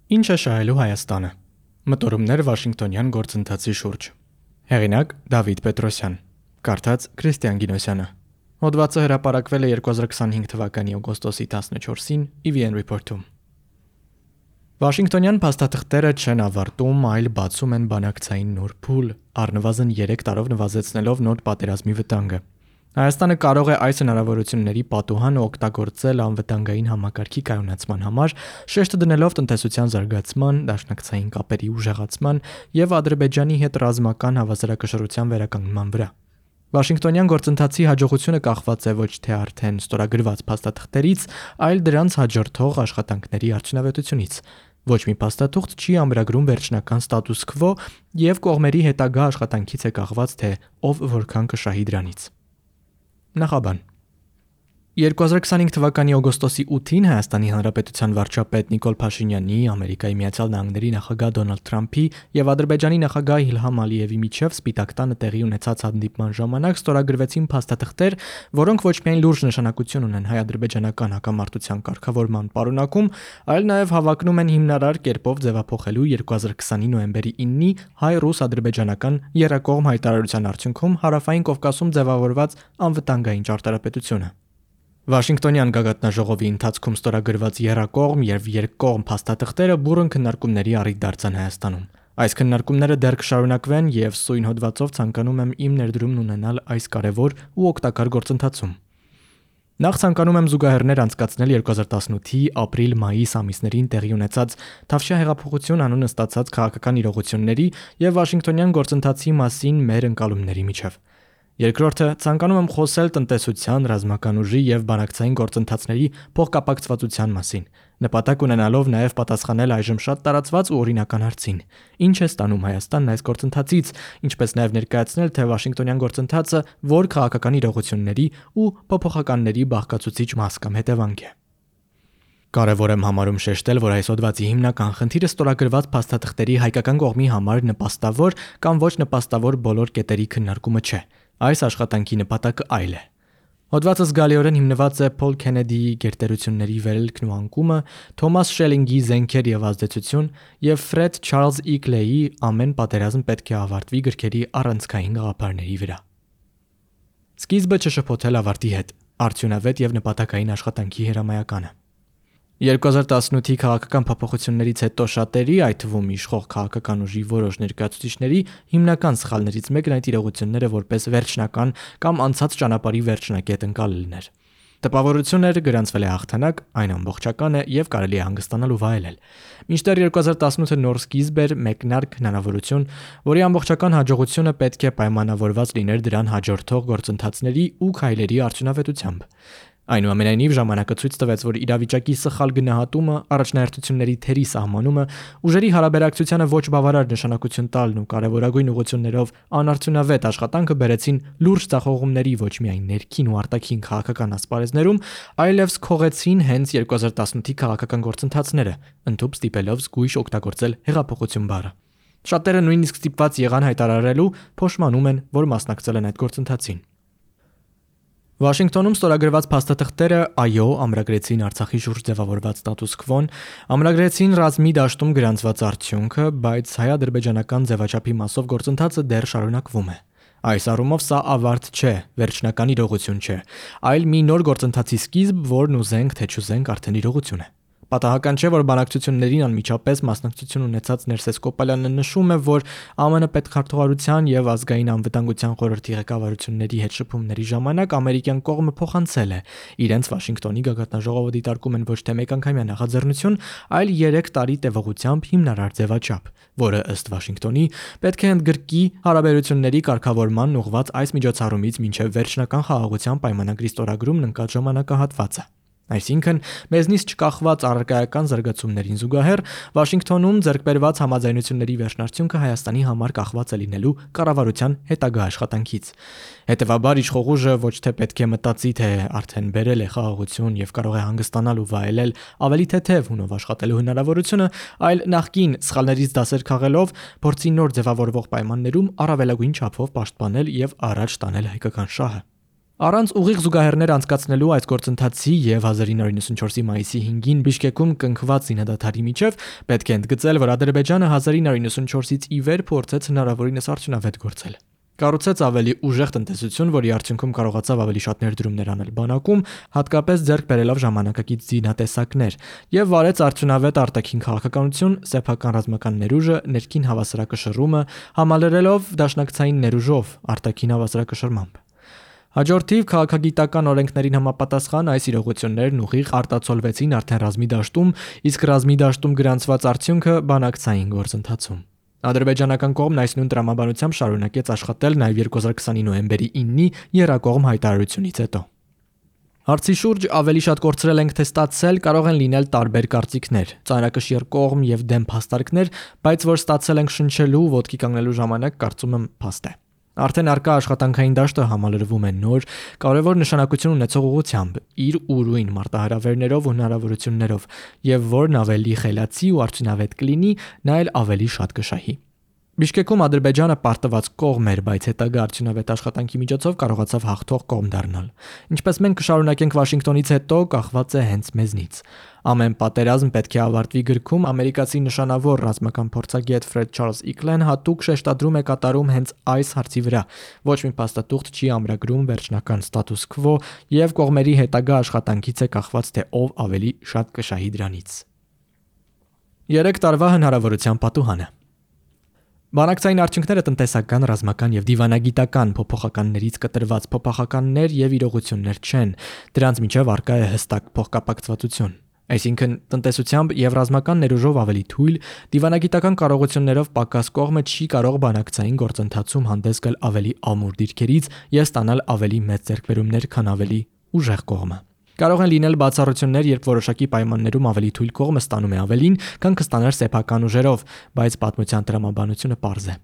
Ինչ է շահելու Հայաստանը։ Մտորումներ Վաշինգտոնյան գործընթացի շուրջ։ Հեղինակ Դավիթ Պետրոսյան։ Կարդաց Քրիստիան Գինոսյանը։ Հոդվածը հրապարակվել է 2025 թվականի օգոստոսի 14-ին EVN Report-ում։ Վաշինգտոնյան փաստաթղթերը չեն ավարտում, այլ բացում են բանակցային նոր փուլ, առնվազն 3 տարով նվազեցնելով նոր պատերազմի վտանգը։ Հայաստանը կարող է այս հնարավորությունների պատուհանը օգտագործել անվտանգային համակարգի կայունացման համար, շեշտը դնելով տնտեսության զարգացման, դաշնակցային կապերի ուժեղացման եւ Ադրբեջանի հետ ռազմական հավասարակշռության վերականգնման վրա։ Վաշինգտոնյան գործընթացի հաջողությունը կախված է ոչ թե արդեն ստորագրված փաստաթղթերից, այլ դրանց հաջորդող աշխատանքների արդյունավետությունից։ Ոչ մի փաստաթուղթ չի ամրագրում վերջնական ստատուս քվո եւ կողմերի հետագա աշխատանքից է կախված, թե ով որքան կշահի դրանից։ Նախաբան 2025 թվականի օգոստոսի 8-ին Հայաստանի Հանրապետության վարչապետ Նիկոլ Փաշինյանի, Ամերիկայի Միացյալ Նահանգների նախագահ Դոնալդ Թրամփի եւ Ադրբեջանի նախագահ Իլհամ Ալիևի միջև Սպիտակ տանը տեղի ունեցած հանդիպման ժամանակ ստորագրվեցին փաստաթղթեր, որոնք ոչ միայն լուրջ նշանակություն ունեն հայ-ադրբեջանական հակամարտության կարգավորման պարունակում, այլ նաեւ հավակնում են հիմնարար կերպով ձևափոխելու 2020-ի նոյեմբերի 9-ի հայ-ռուս-ադրբեջանական եռակողմ հայտարարության արդյունքում Հարավային Կովկասում ձևավորված անվտանգային ճարտարապետությունը։ Վաշինգտոնյան գագաթնաժողովի ընթացքում ստորագրված եռակողմ եւ երկկողմ փաստաթղթերը բուռն քննարկումների առիթ դարձան Հայաստանում։ Այս քննարկումները դեռ կշարունակվեն եւ սույն հոդվածով ցանկանում եմ իմ ներդրումն ունենալ այս կարեւոր ու օգտակար գործընթացում։ Նախ ցանկանում եմ զուգահեռներ անցկացնել 2018-ի ապրիլ-մայիս ամիսներին տեղի ունեցած Թավշյա հեղափոխություն անունը ստացած քաղաքական իրողությունների եւ Վաշինգտոնյան գործընթացի մասին մեր ընկալումների միջև։ Երկրորդը ցանկանում եմ խոսել տնտեսության, ռազմական ուժի եւ բանակցային գործընթացների փոխկապակցվածության մասին, նպատակ ունենալով նաեւ պատասխանել այժմ շատ տարածված ու օրինական հարցին. ինչ է ստանում Հայաստանն այս գործընթացից, ինչպես նաեւ ներկայացնել, թե Վաշինգտոնյան գործընթացը որ քաղաքական իրողությունների ու փոփոխականների բաղկացուցիչ մաս կամ հետևանք է։ Կարևոր եմ համարում շեշտել, որ այս հոդվածի հիմնական խնդիրը ստորագրված փաստաթղթերի հայկական կողմի համար նպաստավոր կամ ոչ նպաստավոր բոլոր կետերի քննարկումը չէ։ Այս աշխատանքի նպատակը այլ է։ Հոդվածը զգալիորեն հիմնված է Փոլ Քենեդիի գերտերությունների վերելքն ու անկումը, Թոմաս Շելինգի զենքեր եւ ազդեցություն եւ Ֆրեդ Չարլզ E. Քլեյի ամեն պատերազմ պետք է ավարտվի գրքերի առանցքային գաղափարների վրա։ Սկիզբը չշփոթել ավարտի հետ, արդյունավետ եւ նպատակային աշխատանքի հրամայականը։ 2018-ի քաղաքական փոփոխություններից հետո շատերի, այդ թվում իշխող քաղաքական ուժի որոշ ներկայացուցիչների հիմնական սխալներից մեկն այդ իրողությունները որպես վերջնական կամ անցած ճանապարհի վերջնակետ ընկալելն էր։ Տպավորություն էր, գրանցվել է հաղթանակ, այն ամբողջական է եւ կարելի է հանգստանալ ու վայելել։ Մինչդեռ 2018-ը նոր սկիզբ էր, մեկնարկ հնարավորություն, որի ամբողջական հաջողությունը պետք է պայմանավորված լիներ դրան հաջորդող գործընթացների ու քայլերի արդյունավետությամբ։ Այնուամենայնիվ ժամանակը ցույց տվեց, որ իրավիճակի սխալ գնահատումը, առաջնահերթությունների թերի սահմանումը, ուժերի հարաբերակցությանը ոչ բավարար նշանակություն տալն ու կարևորագույն ուղղություններով անարդյունավետ աշխատանքը բերեցին լուրջ ձախողումների ոչ միայն ներքին ու արտաքին քաղաքական ասպարեզներում, այլև քողեցին հենց 2018-ի քաղաքական գործընթացները, ընդհուպ ստիպելով զգույշ օգտագործել հեղափոխություն բառը։ Շատերը նույնիսկ ստիպված եղան հայտարարելու, փոշմանում են, որ մասնակցել են այդ գործընթացին։ Վաշինգտոնում ստորագրված փաստաթղթերը այո, ամրագրեցին Արցախի շուրջ ձևավորված ստատուս քվոն, ամրագրեցին ռազմի դաշտում գրանցված արդյունքը, բայց հայ-ադրբեջանական ձևաչափի մասով գործընթացը դեռ շարունակվում է։ Այս առումով սա ավարտ չէ, վերջնական իրողություն չէ, այլ մի նոր գործընթացի սկիզբ, որն ուզենք թե չուզենք արդեն իրողություն է։ Պատահական չէ, որ բանակցություններին անմիջապես մասնակցություն ունեցած Ներսես Կոպալյանը նշում է, որ ԱՄՆ պետքարտուղարության եւ ազգային անվտանգության խորհրդի ղեկավարությունների հետ շփումների ժամանակ ամերիկյան կողմը փոխանցել է իրենց Վաշինգտոնի գագաթնաժողովը դիտարկում են ոչ թե մեկանգամյա նախաձեռնություն, այլ 3 տարի տևողությամբ հիմնարար ձևաչափ, որը ըստ Վաշինգտոնի պետք է ընդգրկի հարաբերությունների կարգավորման ուղղված այս միջոցառումից մինչև վերջնական խաղաղության պայմանագրի ստորագրումն ընկած ժամանակահատվածը։ Այսինքն, մեզնից չկախված առարկայական զարգացումներին զուգահեռ Վաշինգտոնում ձեռքբերված համաձայնությունների վերջնարդյունքը Հայաստանի համար կախված է լինելու կառավարության հետագա աշխատանքից։ Հետևաբար իշխող ուժը ոչ թե պետք է մտածի, թե արդեն բերել է խաղաղություն եւ կարող է հանգստանալ ու վայելել ավելի թեթև հունով աշխատելու հնարավորությունը, այլ նախկին սխալներից դասեր քաղելով փորձի նոր ձևավորվող պայմաններում առավելագույն չափով պաշտպանել եւ առաջ տանել հայկական շահը։ Առանց ուղիղ զուգահեռներ անցկացնելու այս գործընթացի եւ 1994-ի մայիսի 5-ին Բիշկեկում կնքված զինադադարի միջև պետք է ընդգծել, որ Ադրբեջանը 1994-ից ի վեր փորձեց հնարավորինս արդյունավետ գործել։ Կառուցեց ավելի ուժեղ տնտեսություն, որի արդյունքում կարողացավ ավելի շատ ներդրումներ անել բանակում, հատկապես ձեռք բերելով ժամանակակից զինատեսակներ, եւ վարեց արդյունավետ արտաքին քաղաքականություն, սեփական ռազմական ներուժը, ներքին հավասարակշռումը, համալրելով դաշնակցային ներուժով արտաքին հավասարակշռմամբ։ Հաջորդիվ քաղաքագիտական օրենքներին համապատասխան այս իրողություններն ուղիղ արտացոլվեցին արդեն ռազմի դաշտում, իսկ ռազմի դաշտում գրանցված արդյունքը բանակցային գործընթացում։ Ադրբեջանական կողմն այս նույն տրամաբանությամբ շարունակեց աշխատել նաև 2020-ի նոյեմբերի 9-ի եռակողմ հայտարարությունից հետո։ Հարցի շուրջ ավելի շատ կորցրել ենք թե ստացել կարող են լինել տարբեր կարծիքներ, ծանրակշիռ կողմ եւ դեմ փաստարկներ, բայց որ ստացել ենք շնչելու, ոտքի կանգնելու ժամանակ կարծում եմ փաստ է։ Արդեն արկա աշխատանքային դաշտը համալրվում է նոր, կարևոր նշանակություն ունեցող ուղղությամբ, իր ուրույն մարտահրավերներով ու հնարավորություններով, եւ որն ավելի խելացի ու արդյունավետ կլինի, նա էլ ավելի շատ կշահի։ Բիշկեկում Ադրբեջանը պարտված կողմ էր, բայց հետագա արդյունավետ աշխատանքի միջոցով կարողացավ հաղթող կողմ դառնալ։ Ինչպես մենք կշարունակենք Վաշինգտոնից հետո, կախված է հենց մեզնից։ Ամեն պատերազմ պետք է ավարտվի գրքում ամերիկացի նշանավոր ռազմական փորձագետ Ֆրեդ Չարլզ Իքլեն հատուկ շեշտադրում է կատարում հենց այս հարցի վրա։ Ոչ մի փաստաթուղթ չի ամրագրում վերջնական ստատուս քվո եւ կողմերի հետագա աշխատանքից է կախված թե ով ավելի շատ կշահի դրանից։ 3 տարվա հնարավորության պատուհանը։ Բանակցային արդյունքները տնտեսական, ռազմական եւ դիվանագիտական փոփոխականներից կտրված փոփոխականներ եւ իրողություններ չեն, դրանց միջև առկա է հստակ փոխկապակցվածություն։ Այսինքն տնտեսությամբ եւ ռազմական ներուժով ավելի թույլ, դիվանագիտական կարողություններով պակաս կողմը չի կարող բանակցային գործընթացում հանդես գալ ավելի ամուր դիրքերից եւ ստանալ ավելի մեծ ձեռքբերումներ, քան ավելի ուժեղ կողմը։ Կարող են լինել բացառություններ, երբ որոշակի պայմաններում ավելի թույլ կողմը ստանում է ավելին, քան կստանար սեփական ուժերով, բայց պատմության տրամաբանությունը պարզ է։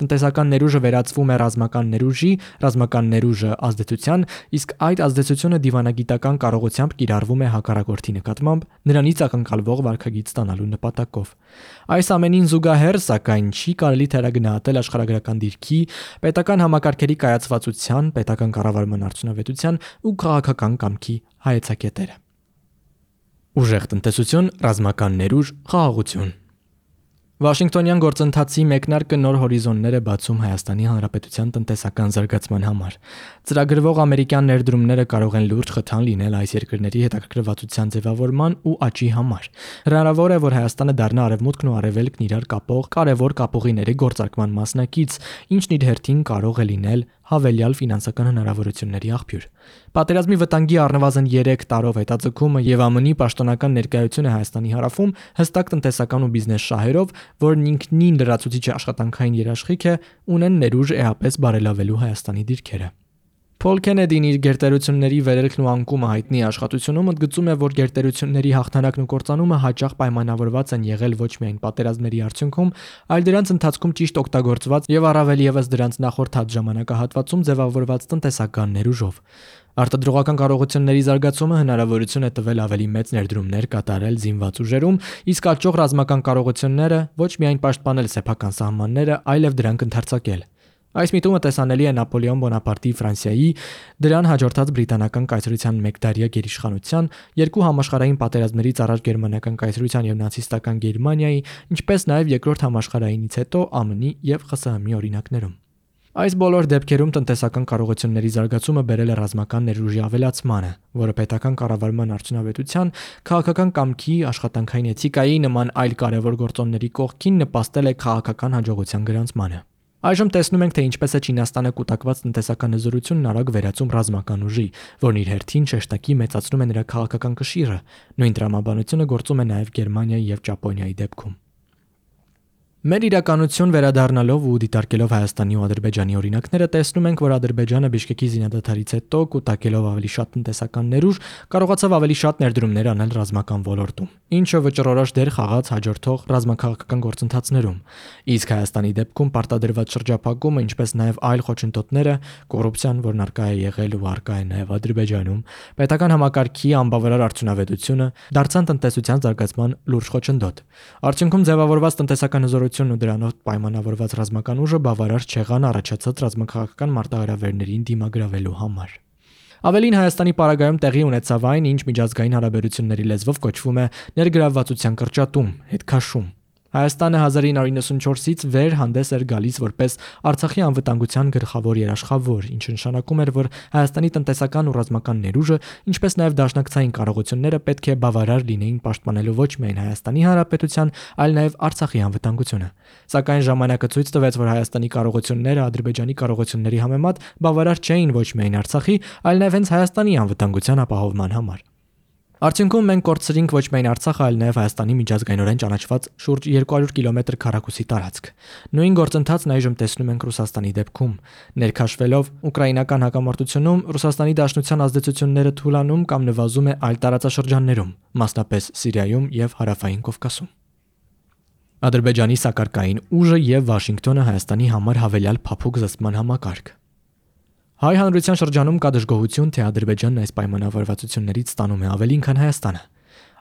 Տնտեսական ներուժը վերածվում է ռազմական ներուժի, ռազմական ներուժը ազդեցության, իսկ այդ ազդեցությունը դիվանագիտական կարողությամբ կիրառվում է հակառակորդի նկատմամբ նրանից ակնկալվող վարքագիծ ստանալու նպատակով։ Այս ամենին զուգահեռ, սակայն, չի կարելի թերագնահատել աշխարհագրական դիրքի, պետական համակարգերի կայացվածության, պետական կառավարման արդյունավետության ու քաղաքական կամքի հայեցակետերը։ Ուժեղ տնտեսություն, ռազմական ներուժ, խաղաղություն։ Վաշինգտոնյան գործընթացի մեկնարկը նոր հորիզոններ է բացում Հայաստանի Հանրապետության տնտեսական զարգացման համար։ Ծրագրվող ամերիկյան ներդրումները կարող են լուրջ խթան լինել այս երկրների հետաքրքրվածության ձևավորման ու աճի համար։ Հնարավոր է, որ Հայաստանը դառնա արևմուտքն ու արևելքն իրար կապող կարևոր կապուղիների գործարկման մասնակից, ինչն իր հերթին կարող է լինել հավելյալ ֆինանսական հնարավորությունների աղբյուր։ Պատերազմի վտանգի առնվազն 3 տարով հետաձգումը եւ ԱՄՆ-ի պաշտոնական ներկայությունը Հայաստանի հարավում հստակ տնտեսական ու բիզնես շահերով, որն ինքնին լրացուցիչ աշխատանքային երաշխիք է, ունեն ներուժ էապես բարելավելու Հայաստանի դիրքերը։ Փոլ Քենեդին իր գերտերությունների վերելքն ու անկումը հայտնի աշխատությունում ընդգծում է, որ գերտերությունների հաղթանակն ու կործանումը հաճախ պայմանավորված են եղել ոչ միայն պատերազմների արդյունքում, այլ դրանց ընթացքում ճիշտ օգտագործված եւ առավել եւս դրանց նախորդած ժամանակահատվածում ձևավորված տնտեսական ներուժով։ Արտադրողական կարողությունների զարգացումը հնարավորություն է տվել ավելի մեծ ներդրումներ կատարել զինված ուժերում, իսկ աճող ռազմական կարողությունները ոչ միայն պաշտպանել սեփական սահմանները, այլև դրանք ընդարձակել։ Այս միտումը տեսանելի է Նապոլեոն Բոնապարտի Ֆրանսիայի, դրան հաջորդած բրիտանական կայսրության մեկդարյա գերիշխանության, երկու համաշխարհային պատերազմներից առաջ գերմանական կայսրության եւ նացիստական Գերմանիայի, ինչպես նաեւ երկրորդ համաշխարհայինից հետո ԱՄՆ-ի եւ ԽՍՀՄ-ի օրինակներում։ Այս բոլոր դեպքերում տնտեսական կարողությունների զարգացումը բերել է ռազմական ներուժի ավելացմանը, որը պետական կառավարման արդյունավետության, քաղաքական կամքի, աշխատանքային էթիկայի նման այլ կարևոր գործոնների կողքին նպաստել է քաղաքական հաջողության գրանցմանը։ Այժմ տեսնում ենք, թե ինչպես է Չինաստանը կուտակված տնտեսական հզորությունն արագ վերածում ռազմական ուժի, որն իր հերթին շեշտակի մեծացնում է նրա քաղաքական կշիռը։ Նույն տրամաբանությունը գործում է նաև Գերմանիայի եւ Ճապոնիայի դեպքում։ Մեր իրականություն վերադառնալով ու դիտարկելով Հայաստանի ու Ադրբեջանի օրինակները, տեսնում ենք, որ Ադրբեջանը Բիշկեկի զինադադարից հետո կուտակելով ավելի շատ տնտեսական ներուժ, կարողացավ ավելի շատ ներդրումներ անել ռազմական ոլորտում, ինչը վճռորոշ դեր խաղաց հաջորդող ռազմաքաղաքական գործընթացներում։ Իսկ Հայաստանի դեպքում պարտադրված շրջափակումը, ինչպես նաև այլ խոչընդոտները, կոռուպցիան, որն արկա է եղել ու արկա է նաև Ադրբեջանում, պետական համակարգի անբավարար արդյունավետությունը դարձան տնտեսության զարգացման լուրջ խոչընդոտ։ Արդյունքում ձևավորված տնտեսական հզորությունն ու դրանով պայմանավորված ռազմական ուժը բավարար չեղան առաջացած ռազմաքաղաքական մարտահրավերներին դիմագրավելու համար։ Ավելին Հայաստանի պարագայում տեղի ունեցավ այն, ինչ միջազգային հարաբերությունների լեզվով կոչվում է ներգրավվածության կրճատում, հետքաշում։ Հայաստանը 1994-ից վեր հանդես էր գալիս որպես Արցախի անվտանգության գլխավոր երաշխավոր, ինչը նշանակում էր, որ Հայաստանի տնտեսական ու ռազմական ներուժը, ինչպես նաև դաշնակցային կարողությունները պետք է բավարար լինեին պաշտպանելու ոչ միայն Հայաստանի Հանրապետության, այլ նաև Արցախի անվտանգությունը։ Սակայն ժամանակը ցույց տվեց, որ Հայաստանի կարողությունները Ադրբեջանի կարողությունների համեմատ բավարար չէին ոչ միայն Արցախի, այլ նաև հենց Հայաստանի անվտանգության ապահովման համար։ Արդյունքում մենք կորցրինք ոչ միայն Արցախը, այլ նաև Հայաստանի միջազգայինորեն ճանաչված շուրջ 200 կիլոմետր քառակուսի տարածք։ Նույն գործընթացն այժմ տեսնում ենք Ռուսաստանի դեպքում։ Ներքաշվելով ուկրաինական հակամարտությունում Ռուսաստանի Դաշնության ազդեցությունները թուլանում կամ նվազում է այլ տարածաշրջաններում, մասնապես Սիրիայում եւ Հարավային Կովկասում։ Ադրբեջանի սակարկային ուժը եւ Վաշինգտոնը Հայաստանի համար հավելյալ փափուկ զսպման համակարգ։ Հայ հանրության շրջանում կա դժգոհություն, թե Ադրբեջանն այս պայմանավորվածություններից ստանում է ավելին, քան Հայաստանը։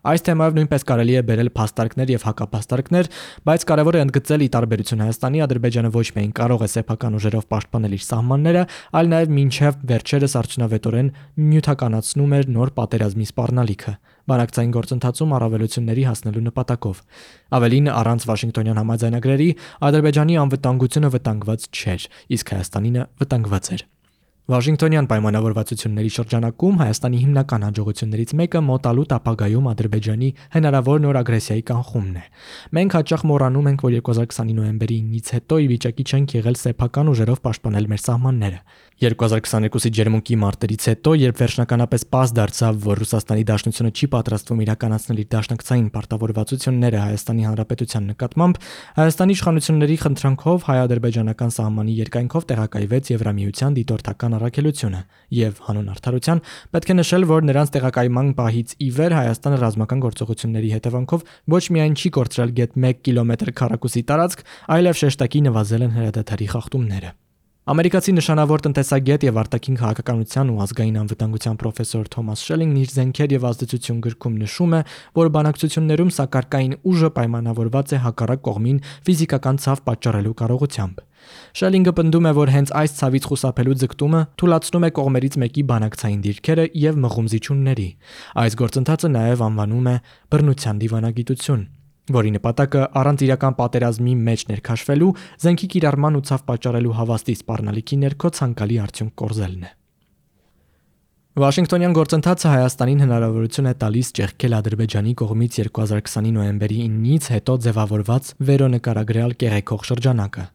Այս թեմայով նույնպես կարելի է բերել փաստարկներ եւ հակափաստարկներ, բայց կարևոր է ընդգծել՝ ի տարբերություն Հայաստանի, Ադրբեջանը ոչ միայն կարող է սեփական ուժերով պաշտպանել իր սահմանները, այլ նաեւ մինչեւ վերջերս արդյունավետորեն նյութականացնում էր նոր պատերազմի սպառնալիքը, բանակցային գործընթացում առավելությունների հասնելու նպատակով։ Ավելին, առանց Վաշինգտոնյան համաձայնագրերի Ադրբեջանի անվտանգությունը վտանգված չէր, իսկ Հայաստանինը վտանգված էր։ Վաշինգտոնյան պայմանավորվածությունների շրջանակում Հայաստանի հիմնական հաջողություններից մեկը մոտալուտ ապագայում Ադրբեջանի հնարավոր նոր ագրեսիայի կանխումն է։ Մենք հաճախ մոռանում ենք, որ 2020 նոյեմբերի 9-ից հետո ի վիճակի չենք եղել սեփական ուժերով պաշտպանել մեր սահմանները։ 2022-ի ջերմուկի մարտերից հետո, երբ վերջնականապես պարզ դարձավ, որ Ռուսաստանի Դաշնությունը չի պատրաստվում իրականացնել իր դաշնակցային պարտավորվածությունները Հայաստանի Հանրապետության նկատմամբ, Հայաստանի իշխանությունների խնդրանքով հայ-ադրբեջանական սահմանի երկայնքով տեղակայվեց Եվրամիության դիտորդական առաքելությունը եւ հանուն արդարության պետք է նշել, որ նրանց տեղակայման պահից ի վեր Հայաստանը ռազմական գործողությունների հետևանքով ոչ միայն չի կորցրել գեթ 1 կիլոմետր քառակուսի տարածք, այլև շեշտակի նվազել են հրադադարի խախտումները։ Ամերիկացի նշանավոր տնտեսագետ եւ արտաքին քաղաքականության ու ազգային անվտանգության պրոֆեսոր Թոմաս Շելինգն իր «Զենքեր եւ ազդեցություն» գրքում նշում է, որ բանակցություններում սակարկային ուժը պայմանավորված է հակառակ կողմին ֆիզիկական ցավ պատճառելու կարողությամբ։ Շելինգը պնդում է, որ հենց այս ցավից խուսափելու ձգտումը թույլատնում է կողմերից մեկի բանակցային դիրքերը եւ մղում զիջումների։ Այս գործընթացը նաեւ անվանում է բռնության դիվանագիտություն, որի նպատակը առանց իրական պատերազմի մեջ ներքաշվելու, զենքի կիրառման ու ցավ պատճառելու հավաստի սպառնալիքի ներքո ցանկալի արդյունք կորզելն է։ Վաշինգտոնյան գործընթացը Հայաստանին հնարավորություն է տալիս ճեղքել Ադրբեջանի կողմից 2020-ի նոյեմբերի 9-ից հետո ձևավորված վերոնկարագրյալ կեղեքող շրջանակը։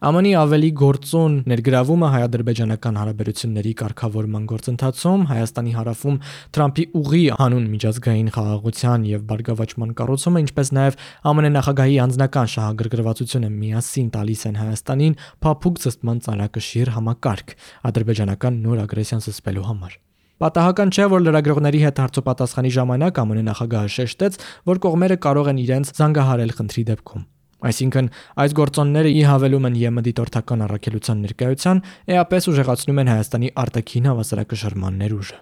ԱՄՆ-ի ավելի գործուն ներգրավումը հայ-ադրբեջանական հարաբերությունների կարգավորման գործընթացում Հայաստանի հարավում Թրամփի ուղի հանուն միջազգային խաղաղության եւ բարգավաճման կառուցումը, ինչպես նաեւ ԱՄՆ նախագահի անձնական շահագրգռվածությունը միասին տալիս են Հայաստանին փափուկ զսպման ծանրակշիռ համակարգ ադրբեջանական նոր ագրեսիան զսպելու համար։ Պատահական չէ, որ լրագրողների հետ հարցոպատասխանի ժամանակ ԱՄՆ նախագահը շեշտեց, որ կողմերը կարող են իրենց զանգահարել խնդրի դեպքում։ Այսինքն, այս գործոնները ի հավելում են ԵՄ դիտորդական առաքելության ներկայության, էապես ուժեղացնում են Հայաստանի արտաքին հավասարակշռման ներուժը։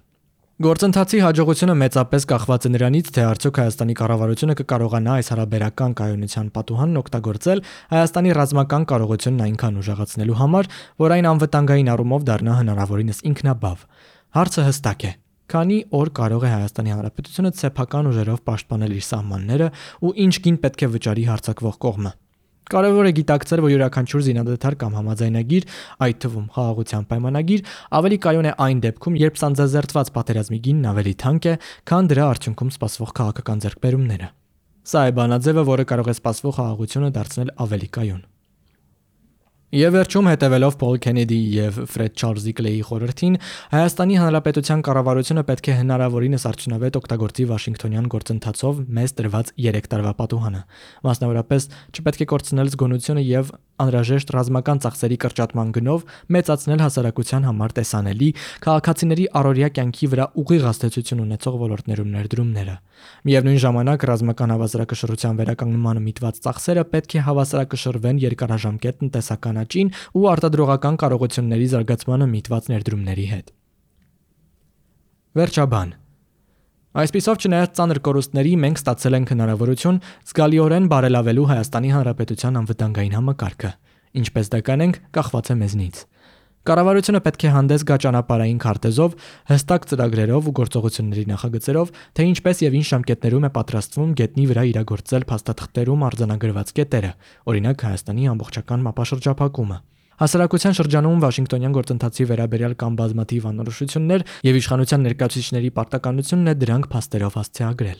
Գործընթացի հաջողությունը մեծապես կախված է նրանից, թե արդյոք Հայաստանի կառավարությունը կկարողանա այս հարաբերական կայունության պատուհանն օգտագործել Հայաստանի ռազմական կարողությունն այնքան ուժեղացնելու համար, որ այն անվտանգային առումով դառնա հնարավորինս ինքնաբավ։ Հարցը հստակ է. քանի օր կարող է Հայաստանի Հանրապետությունը սեփական ուժերով պաշտպանել իր սահմանները ու ինչ գին պետք է վճարի հարձակվող կողմը։ Կարևոր է գիտակցել, որ յուրաքանչյուր զինադադար կամ համաձայնագիր, այդ թվում խաղաղության պայմանագիր, ավելի կայուն է այն դեպքում, երբ սանձազերծված պատերազմի գինն ավելի թանկ է, քան դրա արդյունքում սպասվող քաղաքական ձեռքբերումները։ Սա է բանաձևը, որը կարող է սպասվող խաղաղությունը դարձնել ավելի կայուն։ Եվ վերջում, հետևելով Փոլ Քենեդիի եւ Ֆրեդ Չարլզի Կլեյի խորհրդին, Հայաստանի Հանրապետության կառավարությունը պետք է հնարավորինս արդյունավետ օգտագործի Վաշինգտոնյան գործընթացով մեզ տրված 3 տարվա պատուհանը։ Մասնավորապես, չպետք է կորցնել զգոնությունը եւ անհրաժեշտ ռազմական ծախսերի կրճատման գնով մեծացնել հասարակության համար տեսանելի քաղաքացիների առօրյա կյանքի վրա ուղիղ ազդեցություն ունեցող ոլորտներում ներդրումները։ Միևնույն ժամանակ, ռազմական հավասարակշռության վերականգնմանը միտված ծախսերը պետք է հավասարակշռվեն երկարաժամկետ տնտեսական աճին ու արտադրողական կարողությունների զարգացմանը միտված ներդրումների հետ։ Վերջաբան։ Այսպիսով, չնայած ծանր կորուստների, մենք ստացել ենք հնարավորություն զգալիորեն բարելավելու Հայաստանի Հանրապետության անվտանգային համակարգը, ինչպես դա կանենք, կախված է մեզնից։ Կառավարությունը պետք է հանդես գա ճանապարհային քարտեզով, հստակ ծրագրերով ու գործողությունների նախագծերով, թե ինչպես եւ ինչ ժամկետներում է պատրաստվում գետնի վրա իրագործել փաստաթղթերում արձանագրված կետերը, օրինակ Հայաստանի ամբողջական մապաշրջափակումը։ Հասարակության շրջանում Վաշինգտոնյան գործընթացի վերաբերյալ կան բազմաթիվ անորոշություններ եւ իշխանության ներկայացուցիչների պարտականությունն է դրանք փաստերով հասցեագրել։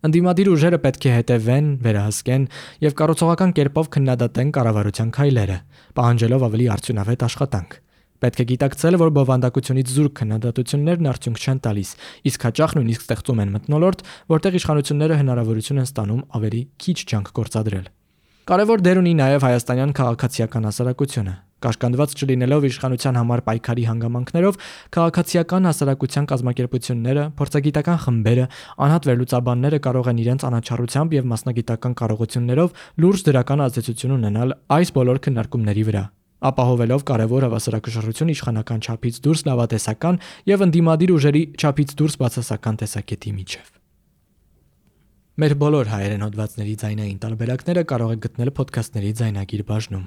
Ընդդիմադիր ուժերը պետք է հետևեն, վերահսկեն եւ կառուցողական կերպով քննադատեն կառավարության քայլերը, պահանջելով ավելի արդյունավետ աշխատանք։ Պետք է գիտակցել, որ բովանդակությունից զուրկ քննադատություններն արդյունք չեն տալիս, իսկ հաճախ նույնիսկ ստեղծում են մթնոլորտ, որտեղ իշխանությունները հնարավորություն են ստանում ավելի քիչ ջանք գործադրել։ Կարևոր դեր ունի նաև հայաստանյան քաղաքացիական հասարակությունը։ Կաշկանդված չլինելով իշխանության համար պայքարի հանգամանքներով, քաղաքացիական հասարակության կազմակերպությունները, փորձագիտական խմբերը, անհատ վերլուծաբանները կարող են իրենց անաչառությամբ եւ մասնագիտական կարողություններով լուրջ դրական ազդեցություն ունենալ այս բոլոր քննարկումների վրա, ապահովելով կարևոր հավասարակշռություն իշխանական չափից դուրս լավատեսական եւ ընդդիմադիր ուժերի չափից դուրս բացասական տեսակետի միջև։ Մեր բոլոր հայերեն հոդվածների ձայնային տարբերակները կարող եք գտնել ոդքասթների ձայնագիր բաժնում։